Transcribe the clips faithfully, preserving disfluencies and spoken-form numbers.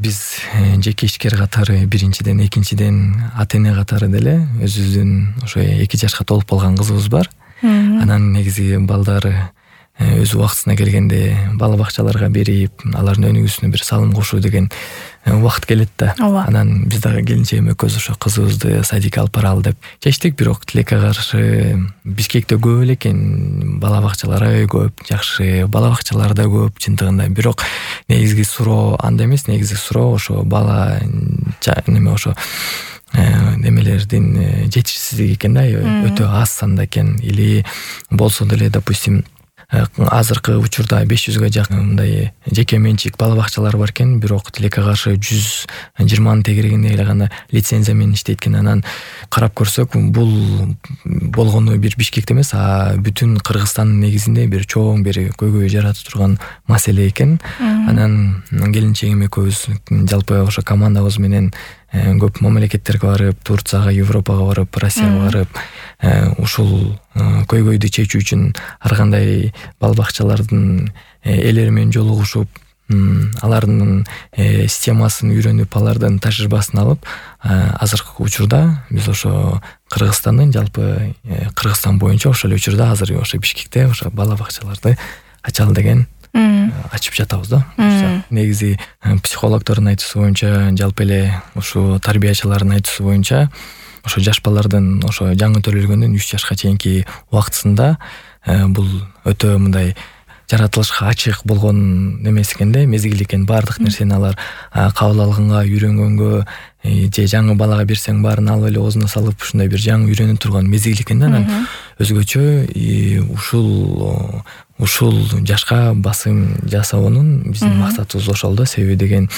биз жеке ишкер катары биринчиден, экинчиден ата эне катары деле өзүбүздүн ошо эки жашка толуп калган кызыбыз бар. Анан негизи балдары өз убактысына келгенде бала бакчаларга берип, алардын өнүгүүсүнө бир салым кошуу деген убакыт келет да. Анан биз дагы келинчегим экөөбүз ошо кызыбызды садикке алып баралы деп чечтик, бирок тилекке каршы Бишкекте көп эле экен, бала бакчалар аябай көп, жакшы бала бакчалар да көп чындыгында. Бирок негизги суроо анда эмес, негизги суроо ошо бала неме ошо немелердин жетишсиздиги экен да, өтө аз санда экен. Или болсо деле, допустим, азыркы учурда беш жүзгө жакын мындай жеке менчик бала бакчалар бар экен, бирок тилекке каршы жүз жыйырманын тегерегинде эле гана лицензия менен иштейт экен. Анан карап көрсөк, бул болгону бир Бишкекте эмес, а бүтүн Кыргызстандын негизинде бир чоң бир көйгөй жаратып турган маселе экен. Анан келинчегим экөөбүз жалпы ошо командабыз менен көп мамлекеттерге барып, Турцияга, Европага барып, Россияга барып, ушул көйгөйдү чечүү үчүн ар кандай бала бакчалардын ээлери менен жолугушуп, алардын системасын үйрөнүп, алардын тажрыйбасын алып, азыркы учурда биз ошо Кыргызстандын жалпы Кыргызстан боюнча ошол учурда азыр ошо Бишкекте ошо бала бакчаларды ачалы деген ачып жатабыз да. Негизи психологдордун айтуусу боюнча, жалпы эле ушу тарбиячылардын айтуусу боюнча, ошо жаш балдардын ошо жаңы төрөлгөндөн үч жашка чейинки убактысында бул өтө мындай жаратылышка ачык болгон немеси экен да, мезгил экен. Баардык нерсени алар кабыл алганга, үйрөнгөнгө, же жаңы балага берсең баарын алып эле оозуна салып ушундай бир жаңы үйрөнүп турган мезгил экен да. Анан өзгөчө ушул ушул жашка басым жасоонун биздин максатыбыз ошол да. Себеби деген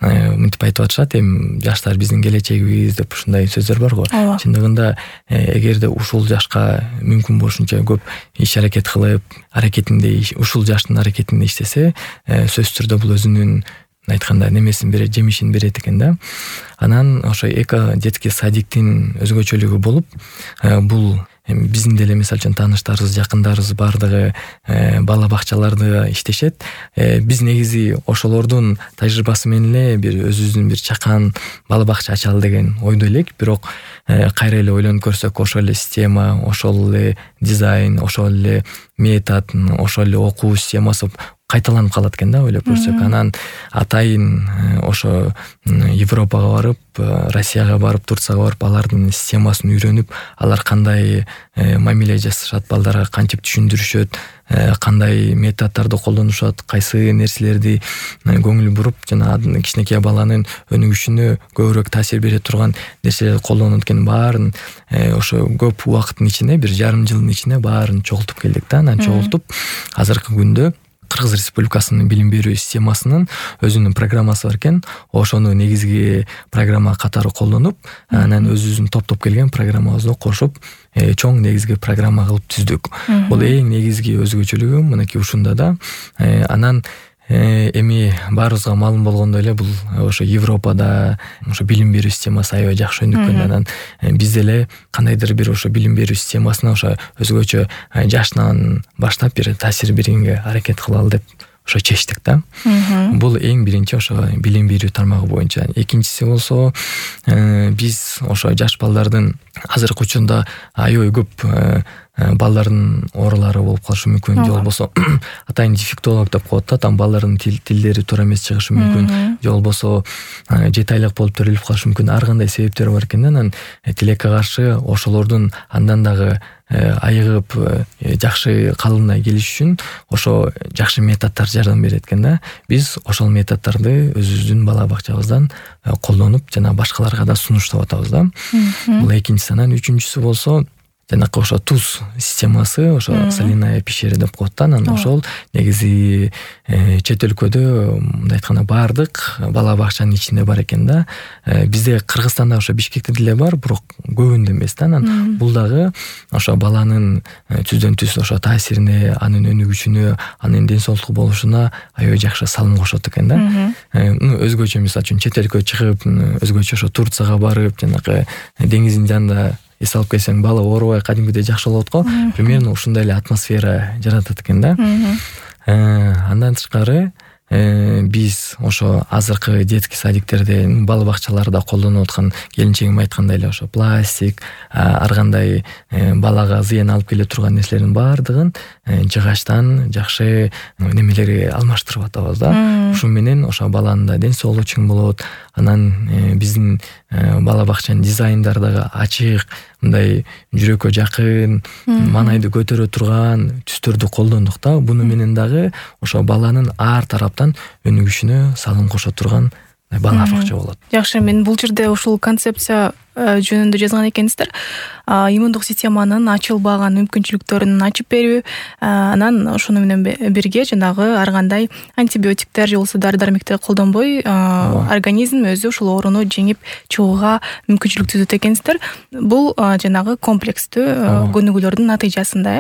мынтип айтып атышат, эми жаштар биздин келечегибиз деп ушундай сөздөр бар го. Чындыгында эгерде ушул жашка мүмкүн болушунча көп иш аракет кылып, аракетинде ушул жаштын аракетинде иштесе, сөзсүз түрдө бул өзүнүн айтканда немесин берет, жемишин берет экен да. Анан ошо эко детский садиктин өзгөчөлүгү болуп, бул биздин деле мисалы үчүн тааныштарыбыз, жакындарыбыз баардыгы бала бакчаларда иштешет. Биз негизи ошолордун тажрыйбасы менен эле бир өзүбүздүн бир чакан бала бакча ачалы деген ойдо элек. Бирок кайра эле ойлонуп көрсөк, ошол эле система, ошол эле дизайн, ошол эле метод, ошол эле окуу системасы кайталанып калат экен да, ойлоп көрсөк. Анан атайын ошо Европага барып, Россияга барып, Турцияга барып, алардын системасын үйрөнүп, алар кандай мамиле жасашат, балдарга кантип түшүндүрүшөт, кандай методдорду колдонушат, кайсы нерселерди көңүл буруп, жана кичинекей баланын өнүгүшүнө көбүрөөк таасир бере турган нерселерди колдонот экен, баарын ошо көп убакыттын ичинде, бир жарым жылдын ичинде баарын чогултуп келдик да. Анан чогултуп азыркы күндө Кыргыз Республикасынын билим берүү системасынын өзүнүн программасы бар экен. Ошону негизги программа катары колдонуп, анан өзүбүздүн топтоп келген программабызды кошуп, чоң негизги программа кылып түздүк. Бул эң негизги өзгөчөлүгү мынакей ушунда да. Анан эми баарыбызга маалым болгондой эле, бул ошо Европада ошо билим берүү системасы аябай жакшы өнүккөн. Анан биз деле кандайдыр бир ошо билим берүү системасына ошо өзгөчө жашынан баштап бир таасир бергенге аракет кылалы деп ошо чечтик да. Бул эң биринчи ошо билим берүү тармагы боюнча. Экинчиси болсо, биз ошо жаш балдардын азыркы учурда аябай көп балдардын оорулары болуп калышы мүмкүн, же болбосо атайын дефектолог деп коет да, там балдардын тилдери туура эмес чыгышы мүмкүн, же болбосо жети айлык болуп төрөлүп калышы мүмкүн. Ар кандай себептер бар экен да. Анан тилекке каршы ошолордун андан дагы айыгып жакшы калыбына келиш үчүн ошо жакшы методдор жардам берет экен да. Биз ошол методдорду өзүбүздүн бала бакчабыздан колдонуп, жана башкаларга да сунуштап атабыз да. Бул экинчиси. Анан үчүнчүсү болсо, жанакы ошо туз системасы, ошо соляная пещера деп коет да. Анан ошол негизи чет өлкөдө мындай айтканда баардык бала бакчанын ичинде бар экен да. Бизде Кыргызстанда ошо Бишкекте деле бар, бирок көбүндө эмес да. Анан бул дагы ошо баланын түздөн түз ошо таасирине, анын өнүгүшүнө, анын ден соолуктуу болушуна аябай жакшы салым кошот экен да. Өзгөчө мисалы үчүн чет өлкөгө чыгып, өзгөчө ошо Турцияга барып, жанакы деңиздин жанында эс алып келсең, бала оорубай кадимгидей жакшы болот го. Примерно ушундай эле атмосфера жаратат экен да. Андан тышкары биз ошо азыркы детский садиктерде, бала бакчаларда колдонуп аткан келинчегим айткандай эле ошо пластик, ар кандай балага зыян алып келе турган нерселердин баардыгын жыгачтан жакшы немелерге алмаштырып атабыз да. Ушу менен ошо баланын да ден соолугу чың болот. Анан биздин бала бакчанын дизайндары дагы ачык, мындай жүрөккө жакын, маанайды көтөрө турган түстөрдү колдондук да. Буну менен дагы ошо баланын ар тараптан өнүгүшүнө салым кошо турган бала бакча болот. Жакшы, мен бул жерде ушул концепция жөнүндө жазган экенсиздер. Иммундук системанын ачылбаган мүмкүнчүлүктөрүн ачып берүү, анан ошону менен бирге жанагы ар кандай антибиотиктер же болбосо дары-дармектер колдонбой организм өзү ушул ооруну жеңип чыгууга мүмкүнчүлүк түзөт экенсиздер. Бул жанагы комплекстүү көнүгүүлөрдүн натыйжасында.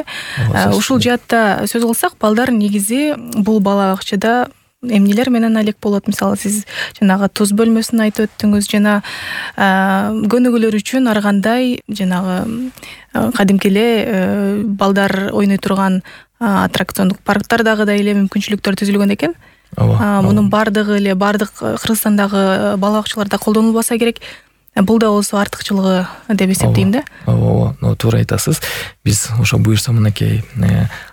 Ушул жаатта сөз кылсак, балдар негизи бул бала бакчада эмнелер менен алек болот? Мисалы, сиз жанагы туз бөлмөсүн айтып өттүңүз, жана көнүгүүлөр үчүн ар кандай жанагы кадимки эле балдар ойной турган аттракциондук парктардагы да эле мүмкүнчүлүктөр түзүлгөн экен. Мунун баардыгы эле баардык Кыргызстандагы бала бакчаларда колдонулбаса керек. Бул да болсо артыкчылыгы деп эсептейм да. Ооба, ооба, туура айтасыз. Биз ошо буюрса мынакей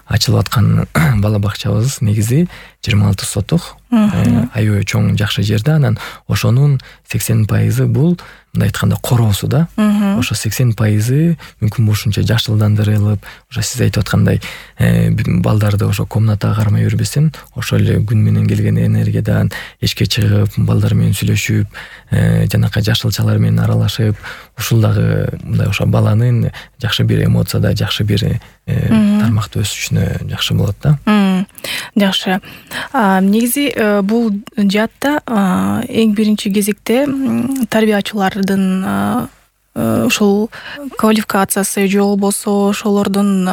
ачылып аткан бала бакчабыз негизи жыйырма алты соток, аябай чоң жакшы жерде. Анан ошонун сексен пайызы бул мындай айтканда короосу да. Ошо сексен пайызы мүмкүн болушунча жашылдандырылып, ошо сиз айтып аткандай балдарды ошо комнатага кармай жүрбөсүн, ошол эле күн менен келген энергиядан эчке чыгып, балдар менен сүйлөшүп, жанакы жашылчалар менен аралашып, ушул дагы мындай ошо баланын жакшы бир эмоцияда, жакшы бир тармакта өсүшүнө жакшы болот да. Жакшы. Негизи бул жаатта эң биринчи кезекте тарбиячылардын ушул квалификациясы же болбосо ошолордун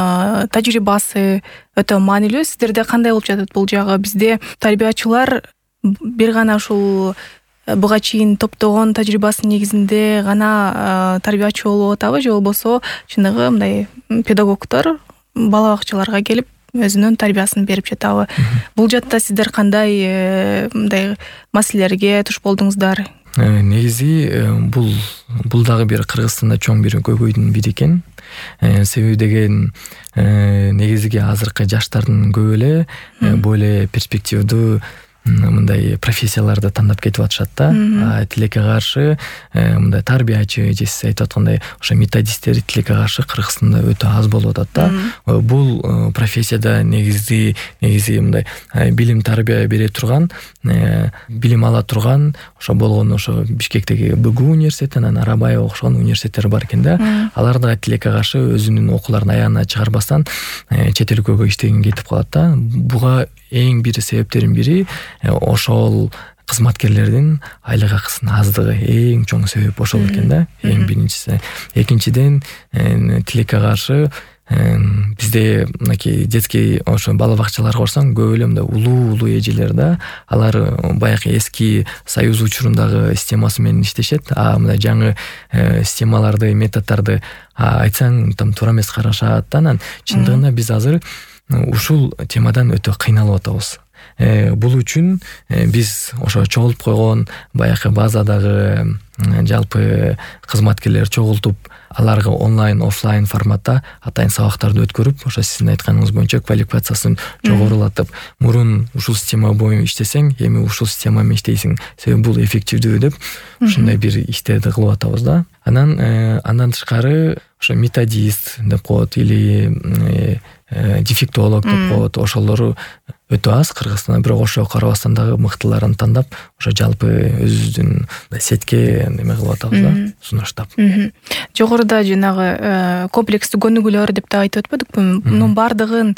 тажрыйбасы өтө маанилүү. Сиздерде кандай болуп жатат бул жагы? Бизде тарбиячылар бир гана ушул буга чейин топтогон тажрыйбасынын негизинде гана тарбиячы болуп атабы, же болбосо чыныгы мындай педагогдор бала бакчаларга келип өзүнүн тарбиясын берип жатабы? Бул жаатта сиздер кандай мындай маселелерге туш болдуңуздар? Негизи бул бул дагы бир Кыргызстанда чоң бир көйгөйдүн бири экен. Себеби деген негизги азыркы жаштардын көбү эле более перспективдүү мындай профессияларды тандап кетип атышат да. Тилекке каршы мындай тарбиячы же сиз айтып аткандай ошо методисттер тилекке каршы Кыргызстанда өтө аз болуп атат да. Бул профессияда негизи негизи мындай билим тарбия бере турган, билим ала турган ошо болгон ошо Бишкектеги БГУ университети, анан Арабаева окшогон университеттер бар экен да. Алар да тилекке каршы өзүнүн окууларын аягына чыгарбастан чет өлкөгө иштегенге кетип калат да. Буга эң бир себептердин бири ошол кызматкерлердин айлык акысынын аздыгы эң чоң себеп ошол экен да. Эң биринчиси. Экинчиден, тилекке каршы бизде мынакей детский ошо бала бакчаларга барсаң көп эле мындай улуу-улуу эжелер да. Алар баягы эски союз учурундагы системасы менен иштешет. А мындай жаңы системаларды, методдорду айтсаң там туура эмес карашат да. Анан чындыгында биз азыр ушул темадан өтө кыйналып атабыз. Бул үчүн биз ошо чогултуп койгон баягы базадагы жалпы кызматкерлер чогултуп, аларга онлайн, офлайн форматта атайын сабактарды өткөрүп, ошо сиздин айтканыңыз боюнча квалификациясын жогорулатып, мурун ушул система боюнча иштесең, эми ушул система менен иштейсиң, себеби бул эффективдүү деп ушундай бир иштерди кылып атабыз да. Анан андан тышкары ошо методист деп коет или дефектолог деп коет, ошолору өтө аз Кыргызстанда, бирок ошого карабастан дагы мыктыларын тандап, ошо жалпы өзүбүздүн сетке неме кылып атабыз да, сунуштап. Жогоруда жанагы комплекстүү көнүгүүлөр деп да айтып өтпөдүкпү? Мунун баардыгын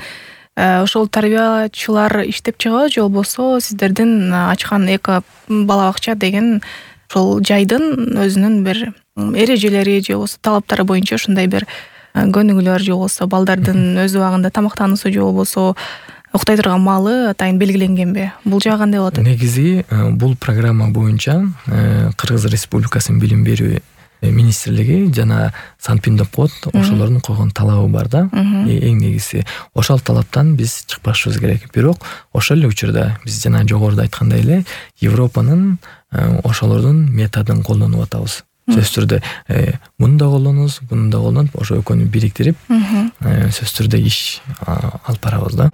ошол тарбиячылар иштеп чыгабы, же болбосо сиздердин ачкан эко бала бакча деген ошол жайдын өзүнүн бир эрежелери же болбосо талаптары боюнча ушундай бир көнүгүүлөр же болбосо балдардын өз убагында тамактануусу же болбосо уктай турган маалы атайын белгиленгенби? Бул жагы кандай болот? Негизи бул программа боюнча Кыргыз Республикасынын билим берүү министрлиги жана Санпин деп коет, ошолордун койгон талабы бар да. Эң негизи ошол талаптан биз чыкпашыбыз керек. Бирок ошол эле учурда биз жана жогоруда айткандай эле Европанын ошолордун методун колдонуп атабыз. Сөзсүз түрдө муну да колдонобуз, буну да колдонуп, ошо экөөнү бириктирип сөзсүз түрдө иш алып барабыз да.